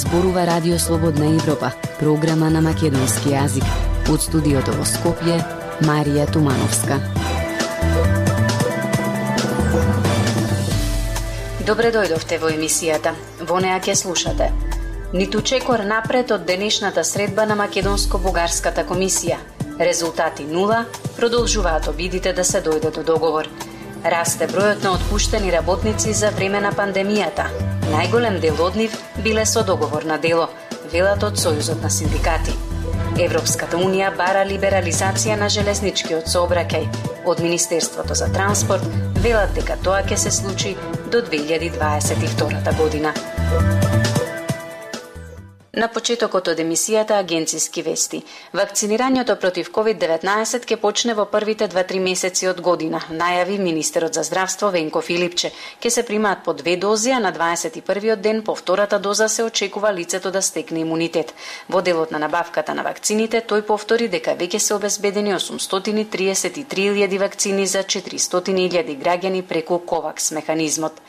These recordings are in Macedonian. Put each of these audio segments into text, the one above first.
зборува Радио Слободна Европа, програма на македонски јазик. Од студиото во Скопје, Марија Тумановска. Добре дојдовте во емисијата. Во неа ќе слушате: ниту чекор напред од денешната средба на Македонско-бугарската комисија. Резултати нула, продолжуваат обидите да се дојде до договор. Расте бројот на отпуштени работници за време на пандемијата. Најголем дел од нив биле со договор на дело, велат од Сојузот на синдикати. Европската унија бара либерализација на железничкиот сообраќај. Од Министерството за транспорт велат дека тоа ќе се случи до 2022 година. На почетокот од емисијата агенциски вести. Вакцинирањето против COVID-19 ќе почне во првите 2-3 месеци од година, најави министерот за здравство Венко Филипче. Ќе се примаат по 2 дози, а на 21-виот ден по втората доза се очекува лицето да стекне имунитет. Во делот на набавката на вакцините, тој повтори дека веќе се обезбедени 833.000 вакцини за 400.000 граѓани преку ковакс механизмот.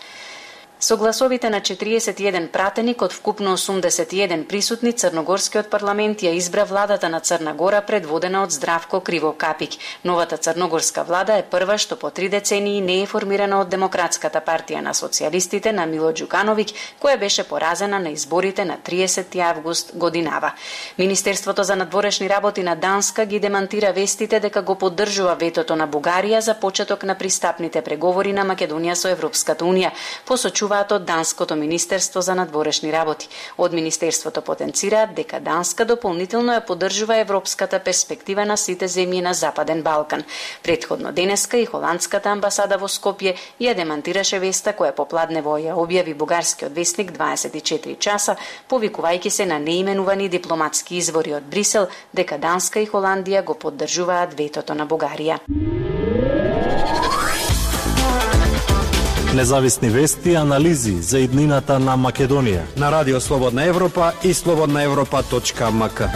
Со гласовите на 41 пратеник од вкупно 81 присутни, Црногорскиот парламент ја избра владата на Црна Гора предводена од Здравко Кривокапик. Новата црногорска влада е прва што по 3 децении не е формирана од Демократската партија на социјалистите на Мило Ѓукановиќ, која беше поразена на изборите на 30 август годинава. Министерството за надворешни работи на Данска ги демантира вестите дека го поддржува ветото на Бугарија за почеток на пристапните преговори на Македонија со Европската унија, посочува од Данското министерство за надворешни работи. Од министерството потенцираат дека Данска дополнително ја поддржува европската перспектива на сите земји на Западен Балкан. Предходно денеска и холандската амбасада во Скопје ја демантираше веста која попладнево ја објави бугарскиот весник 24 часа, повикувајќи се на неименувани дипломатски извори од Брисел дека Данска и Холандија го поддржуваат ветото на Бугарија. Независни вести и анализи за иднината на Македонија на Радио Слободна Европа и slobodnaevropa.mk.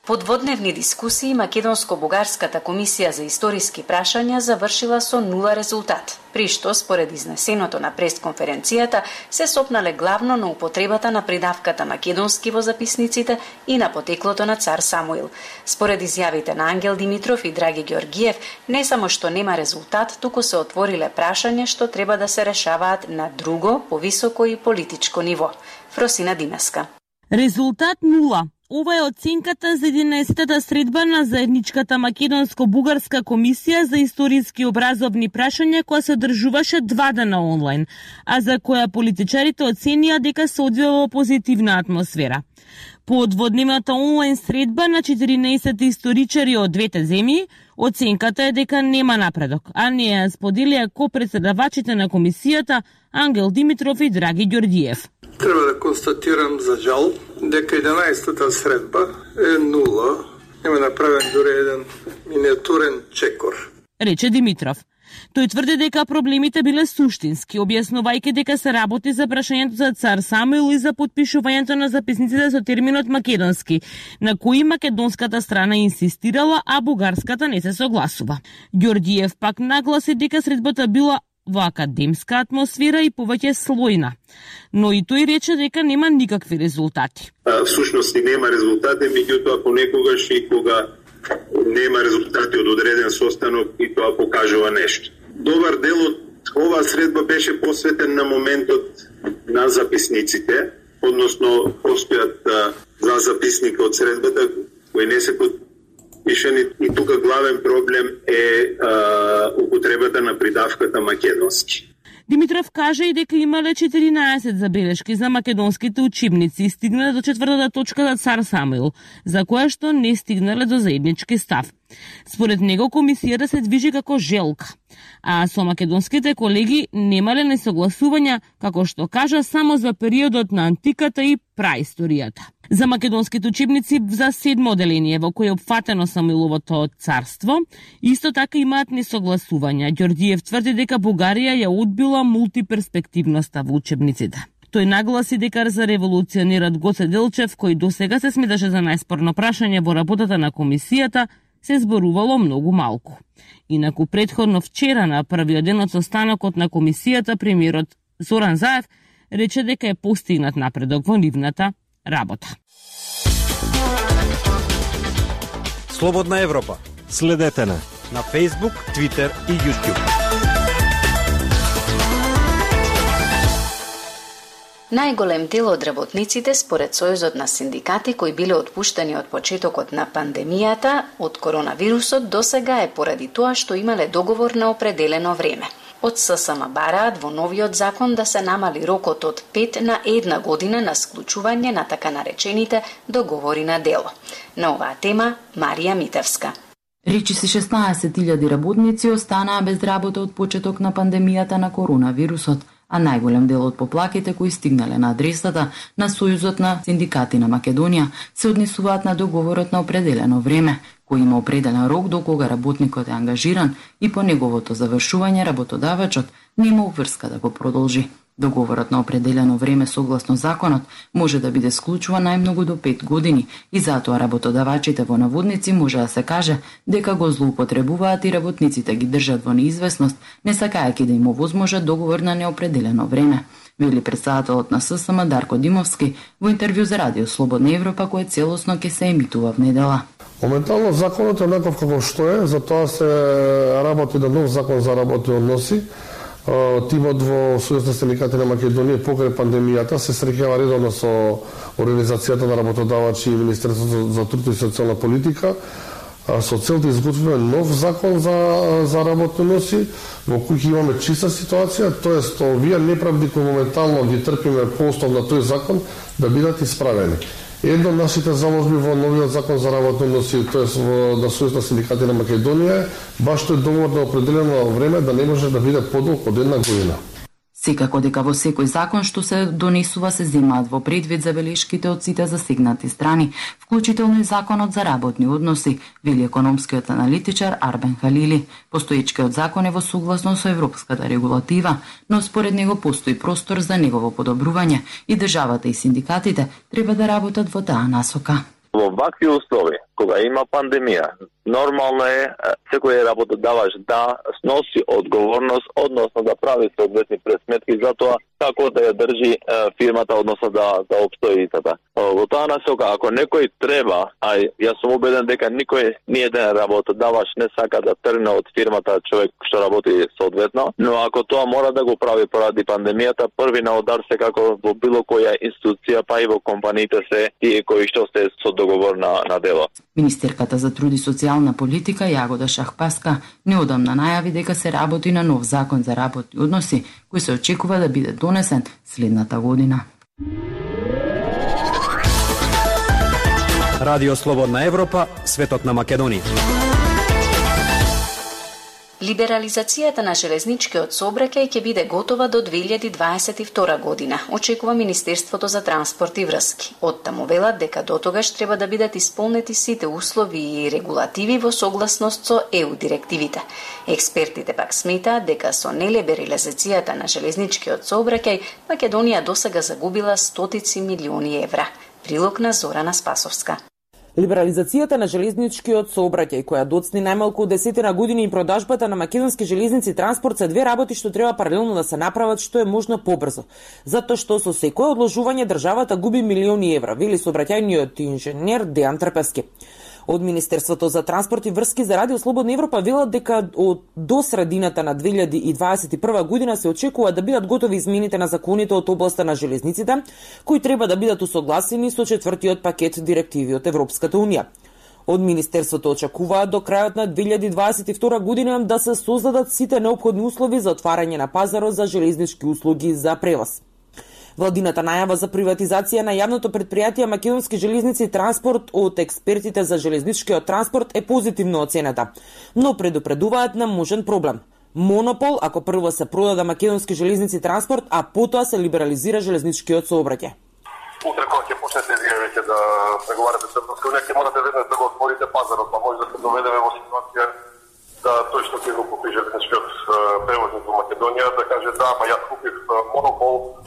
По дводневни дискусии, Македонско-бугарската комисија за историски прашања завршила со нула резултат, при што, според изнесеното на пресконференцијата, се сопнале главно на употребата на придавката македонски во записниците и на потеклото на цар Самуил. Според изјавите на Ангел Димитров и Драги Ѓорѓиев, не само што нема резултат, туку се отвориле прашања што треба да се решаваат на друго, повисоко и политичко ниво. Фросина Димеска. Резултат нула. Ова е оценката за 11-та средба на заедничката Македонско-бугарска комисија за историски образовни прашања која се одржуваше 2 дена онлайн, а за која политичарите оценија дека се одвива во позитивна атмосфера. По дводневната онлайн средба на 14 историчари од двете земји, оценката е дека нема напредок, а не ја споделија ко-председавачите на комисијата Ангел Димитров и Драги Ѓорѓиев. Треба да констатирам за жал дека 11-та средба е нула, нема направен дури еден миниатурен чекор, рече Димитров. Тој тврди дека проблемите биле суштински, објаснувајќи дека се работи за прашањето за цар Самуил и за подпишувањето на записниците со терминот македонски, на кои македонската страна инсистирала, а бугарската не се согласува. Ѓорѓиев пак нагласи дека средбата била во академска атмосфера и повеќе слојна. Но и тој рече дека нема никакви резултати. Всушност и нема резултати, меѓутоа понекогаш и кога нема резултати од одреден состанок и тоа покажува нешто. Добар дел од оваа средба беше посветен на моментот на записниците, односно постојат за записника од средбата кои не се подпишани и тука главен проблем е употребата на придавката македонски. Димитров кажа и дека имале 14 забелешки за македонските учебници и стигнале до 4-та точка за цар Самуил, за која што не стигнале до заеднички став. Според него комисијата се движи како желка, а со македонските колеги немале несогласувања, како што кажа, само за периодот на антиката и праисторијата. За македонските учебници за 7 оделение во кој е опфатено Самуиловото царство, исто така имаат несогласувања. Ѓорѓиев тврди дека Бугарија ја одбила мултиперспективноста во учебниците. Тој нагласи дека за револуционерот Гоце Делчев, кој досега се сметаше за најспорно прашање во работата на комисијата, се зборувало многу малку. Инаку претходно вчера на првиот ден од состанокот на комисијата премиерот Зоран Заев рече дека е постигнат напредок во нивната работа. Слободна Европа. Следете на Facebook, Twitter и YouTube. Најголем дел од работниците според Сојузот на синдикати кои биле отпуштени од почетокот на пандемијата од коронавирусот досега е поради тоа што имале договор на определено време. Од ССМ бараат во новиот закон да се намали рокот од 5 на 1 година на склучување на така наречените договори на дело. На оваа тема Марија Митевска. Речиси 16.000 работници останаа без работа од почеток на пандемијата на коронавирусот, а најголем дел од поплаките кои стигнале на адресата на Сојузот на синдикати на Македонија се однесуваат на договорот на определено време, кој има определен рок до кога работникот е ангажиран и по неговото завршување работодавачот нема обврска да го продолжи. Договорот на определено време согласно законот може да биде склучуван најмногу до 5 години и затоа работодавачите во наводници може да се каже дека го злоупотребуваат и работниците ги држат во неизвестност, не сакајќи да им овозможат договор на неопределено време, вели претседателот на ССМ Дарко Димовски во интервју за Радио Слободна Европа кој целосно ќе се емитува в недела. Моментално законот е онаков како што е, затоа се работи на нов закон за работни односи. Тимот во Сојуз на синдикати на Македонија покрај пандемијата се среќава редовно со Организацијата на работодавачи и Министерството за труд и социјална политика со цел да изготвиме нов закон за работни односи во кој имаме чиста ситуација, тоест овие неправди кои моментално ги трпиме по основ на тој закон да бидат исправени. Едно од нашите заложби во новиот закон за работни односи, тоест на Сојуз на синдикати на Македонија, баш тој договор на определено време да не може да биде подолг од 1 година. Секако дека во секој закон што се донесува се земаат во предвид забелешките од сите засегнати страни, вклучително и законот за работни односи, вели економскиот аналитичар Арбен Халили. Постоечкиот закон е во согласност со европската регулатива, но според него постои простор за негово подобрување и државата и синдикатите треба да работат во таа насока. Во вакви услови, кога има пандемија, нормално е секој работодавач да сноси одговорност, односно да прави соодветни пресметки за тоа како да ја држи фирмата, односно да опстои истата. Во таа насока, ако некој треба, а јас сум убеден дека никој ни еден работодавач не сака да тргне од фирмата човек што работи соодветно, но ако тоа мора да го прави поради пандемијата, први на удар се како во било која институција, па и во компаниите се тие кои што се со договор на дело. Министерката за труд и социјална политика Јагода Шахпаска неодамна најави дека се работи на нов закон за работни односи кој се очекува да биде донесен следната година. Радио Слободна Европа, светот на Македонија. Либерализацијата на железничкиот сообраќај ќе биде готова до 2022 година, очекува Министерството за транспорт и врски. Оттаму велат дека дотогаш треба да бидат исполнети сите услови и регулативи во согласност со ЕУ директивите. Експертите пак сметаат дека со нелиберализацијата на железничкиот сообраќај Македонија досега загубила стотици милиони евра. Прилог на Зорана Спасовска. Либерализацијата на железничкиот сообраќај, која доцни најмалку 10 години и продажбата на македонски железници транспорт се две работи што треба паралелно да се направат што е можно побрзо. Затоа што со секое одложување државата губи милиони евра, вели сообраќајниот инженер Дејан Трпевски. Од Министерството за транспорт и врски за Радио Слободна Европа велат дека до средината на 2021 година се очекува да бидат готови измените на законите од областа на железниците, кои треба да бидат усогласени со четвртиот пакет директиви од Европската унија. Од Министерството очекуваат до крајот на 2022 година да се создадат сите неопходни услови за отварање на пазарот за железнички услуги за превоз. Владината најава за приватизација на јавното предпријатие Македонски железници транспорт од експертите за железничкиот транспорт е позитивно оценета, но предупредуваат на можен проблем. Монопол ако прво се продаде Македонски железници транспорт, а потоа се либерализира железничкиот сообраќај. Утре кога ќе почнете вие веќе да преговарате со Европска унија, ќе морате веднаш да го отворите пазарот, па може да се доведеме во ситуација да тој што ќе го купи железничкиот превозник во Македонија да каже да, ама јас купив монопол,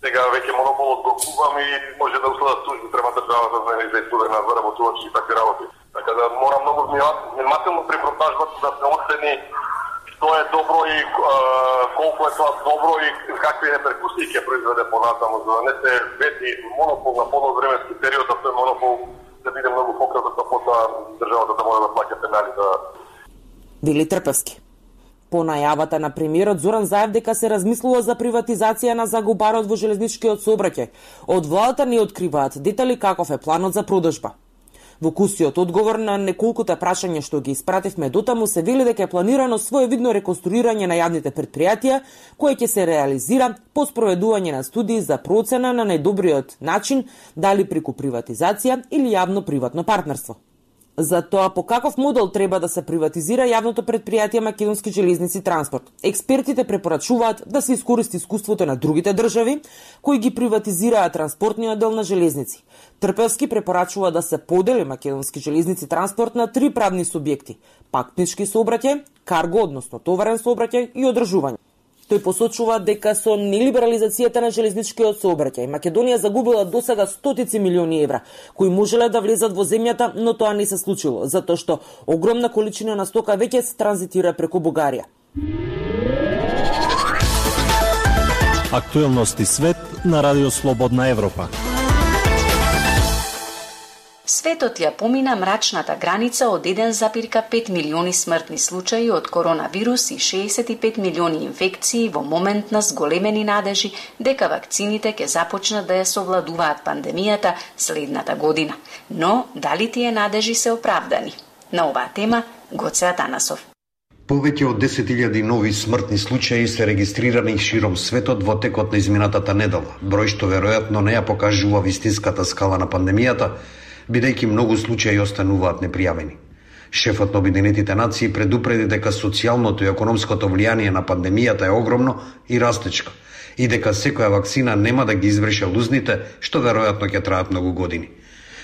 сега веќе монополот го купам и може да уследат тужби према државата за излестуване на заработувачи и такви работи. Така да мора многу внимателно при продажбата да се оцени што е добро и колку е тоа добро и какви реперкусии ќе произведе понатаму, за да не се вети монопол на полновременски период, а тој монопол да биде многу пократок, а потоа државата да мора да плаќа пенали за... Вели Трпевски. По најавата на премиерот Зоран Заев дека се размислува за приватизација на загубарот во железничкиот сообраќај, од владата не откриваат детали каков е планот за продажба. Во кусиот одговор на неколкуте прашања што ги испративме дотаму се вели дека е планирано своевидно реконструирање на јавните претпријатија, кое ќе се реализира по спроведување на студии за процена на најдобриот начин дали преку приватизација или јавно-приватно партнерство. За тоа по каков модел треба да се приватизира јавното претпријатие Македонски железници транспорт, експертите препорачуваат да се искористи искуството на другите држави кои ги приватизираат транспортниот дел на железници. Трпевски препорачува да се подели Македонски железници транспорт на 3 правни субјекти: патнички сообраќај, карго, односно товарен сообраќај и одржување. Тој посочува дека со нелиберализацијата на железничкиот сообраќај Македонија загубила досега стотици милиони евра, кои можеле да влезат во земјата, но тоа не се случило, затоа што огромна количина на стока веќе се транзитира преку Бугарија. Актуелности свет на Радио Слободна Европа. Светот ја помина мрачната граница од 1,5 милиони смртни случаи од коронавирус и 65 милиони инфекции во момент на зголемени надежи дека вакцините ќе започнат да ја совладуваат пандемијата следната година. Но дали тие надежи се оправдани? На оваа тема Гоце Атанасов. Повеќе од 10.000 нови смртни случаи се регистрирани широм светот во текот на изминатата недела, број што веројатно не ја покажува вистинската скала на пандемијата, бидејќи многу случаи остануваат непријавени. Шефот на Обединетите нации предупреди дека социјалното и економското влијание на пандемијата е огромно и растечко, и дека секоја вакцина нема да ги изврши лузните, што веројатно ќе траат многу години.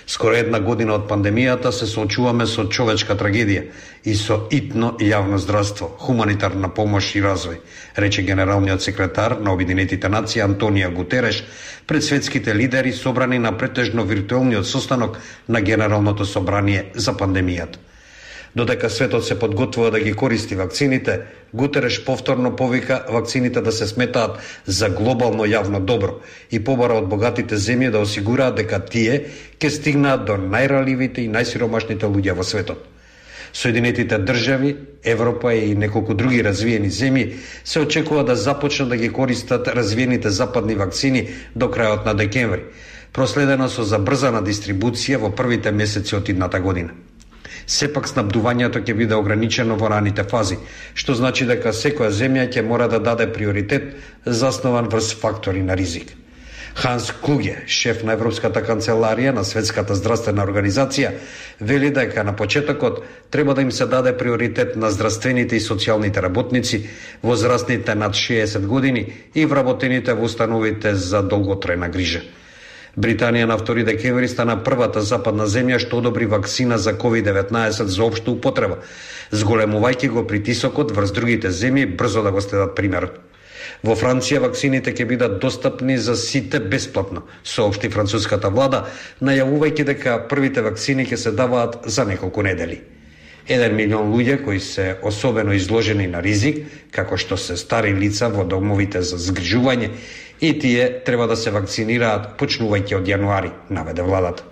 Скоро 1 година од пандемијата се соочуваме со човечка трагедија и со итно јавно здравство, хуманитарна помош и развој, рече генералниот секретар на Обединетите нации Антонио Гутереш пред светските лидери собрани на претежно виртуелниот состанок на Генералното собрание за пандемијата. Додека светот се подготвува да ги користи вакцините, Гутереш повторно повика вакцините да се сметаат за глобално јавно добро и побара од богатите земји да осигураат дека тие ќе стигнаат до најранливите и најсиромашните луѓе во светот. Соединетите држави, Европа и неколку други развиени земји се очекува да започнат да ги користат развиените западни вакцини до крајот на декември, проследено со забрзана дистрибуција во првите месеци од идната година. Сепак снабдувањето ќе биде ограничено во раните фази, што значи дека секоја земја ќе мора да даде приоритет заснован врз фактори на ризик. Ханс Клуге, шеф на Европската канцеларија на Светската здравствена организација, вели дека на почетокот треба да им се даде приоритет на здравствените и социјалните работници, возрастните над 60 години и вработените во установите за долготрајна грижа. Британија на 2 декември стана првата западна земја што одобри вакцина за COVID-19 за општа употреба, зголемувајќи го притисокот врз другите земји брзо да го следат примерот. Во Франција вакцините ќе бидат достапни за сите бесплатно, соопшти француската влада, најавувајќи дека првите вакцини ќе се даваат за неколку недели. 1 милион луѓе кои се особено изложени на ризик, како што се стари лица во домовите за згрижување, и тие треба да се вакцинираат почнувајќи од јануари, наведе владата.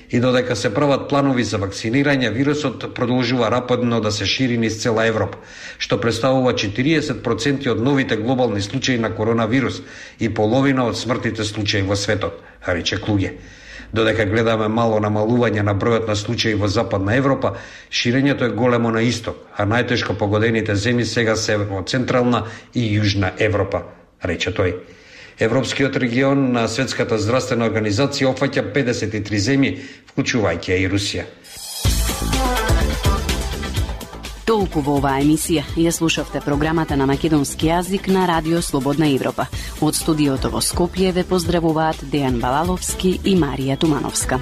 И додека се прават планови за вакцинирање, вирусот продолжува рапидно да се шири низ цела Европа, што представува 40% од новите глобални случаи на коронавирус и половина од смртните случаи во светот, рече Клуге. Додека гледаме мало намалување на бројот на случаи во Западна Европа, ширењето е големо на исток, а најтешко погодените земји сега се во Централна и Јужна Европа, рече тој. Европскиот регион на Светската здравствена организација опфаќа 53 земји, вклучувајќи и Русија. Толку во оваа емисија ја слушавте програмата на македонски јазик на Радио Слободна Европа. Од студиото во Скопје ве поздравуваат Дејан Балаловски и Марија Тумановска.